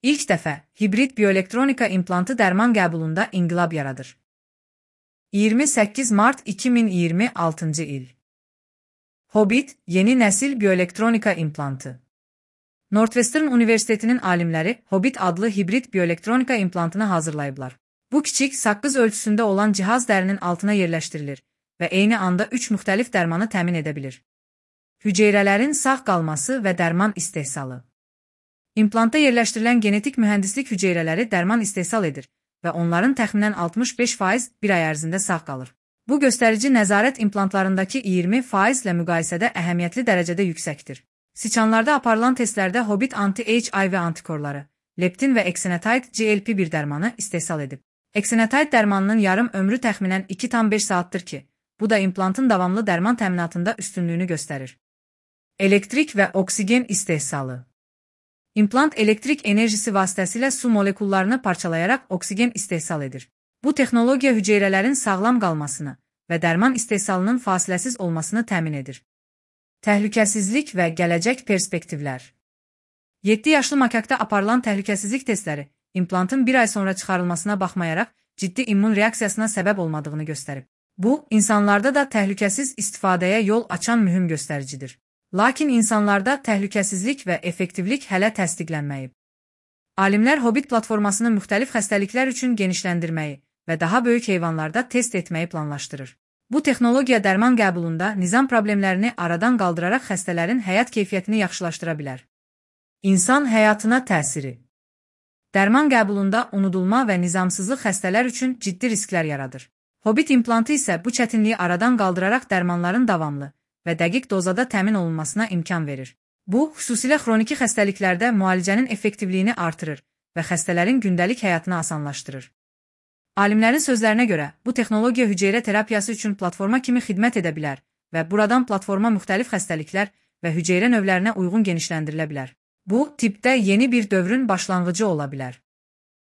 İlk dəfə hibrid bioelektronika implantı dərman qəbulunda inqilab yaradır. 28 mart 2026 il. Hobbit, yeni nəsil bioelektronika implantı. Northwestern Universitetinin alimləri Hobbit adlı hibrid bioelektronika implantını hazırlayıblar. Bu kiçik, saqqız ölçüsündə olan cihaz dərinin altına yerləşdirilir və eyni anda 3 müxtəlif dərmanı təmin edə bilir. Hüceyrələrin sağ qalması və dərman istehsalı. İmplantda yerləşdirilən genetik mühəndislik hüceyrələri dərman istehsal edir və onların təxminən 65% bir ay ərzində sağ qalır. Bu göstərici nəzarət implantlarındakı 20% ilə müqayisədə əhəmiyyətli dərəcədə yüksəkdir. Siçanlarda aparılan testlərdə Hobbit anti-HIV antikorları, leptin və eksenetide GLP-1 dərmanı istehsal edib. Eksenetide dərmanının yarım ömrü təxminən 2,5 saatdır ki, bu da implantın davamlı dərman təminatında üstünlüyünü göstərir. Elektrik və oksigen istehsalı. İmplant elektrik enerjisi vasitəsilə su molekullarını parçalayaraq oksigen istehsal edir. Bu texnologiya hüceyrələrin sağlam qalmasını və dərman istehsalının fasiləsiz olmasını təmin edir. Təhlükəsizlik və gələcək perspektivlər. 7 yaşlı makakda aparılan təhlükəsizlik testləri implantın bir ay sonra çıxarılmasına baxmayaraq ciddi immun reaksiyasına səbəb olmadığını göstərib. Bu, insanlarda da təhlükəsiz istifadəyə yol açan mühüm göstəricidir. Lakin insanlarda təhlükəsizlik və effektivlik hələ təsdiqlənməyib. Alimlər Hobbit platformasını müxtəlif xəstəliklər üçün genişləndirməyi və daha böyük heyvanlarda test etməyi planlaşdırır. Bu texnologiya dərman qəbulunda nizam problemlərini aradan qaldıraraq xəstələrin həyat keyfiyyətini yaxşılaşdıra bilər. İnsan həyatına təsiri. Dərman qəbulunda unudulma və nizamsızlıq xəstələr üçün ciddi risklər yaradır. Hobbit implantı isə bu çətinliyi aradan qaldıraraq dərmanların davamlı və dəqiq dozada təmin olunmasına imkan verir. Bu, xüsusilə xroniki xəstəliklərdə müalicənin effektivliyini artırır və xəstələrin gündəlik həyatını asanlaşdırır. Alimlərin sözlərinə görə, bu texnologiya hüceyrə terapiyası üçün platforma kimi xidmət edə bilər və buradan platforma müxtəlif xəstəliklər və hüceyrə növlərinə uyğun genişləndirilə bilər. Bu, tibbdə yeni bir dövrün başlanğıcı ola bilər.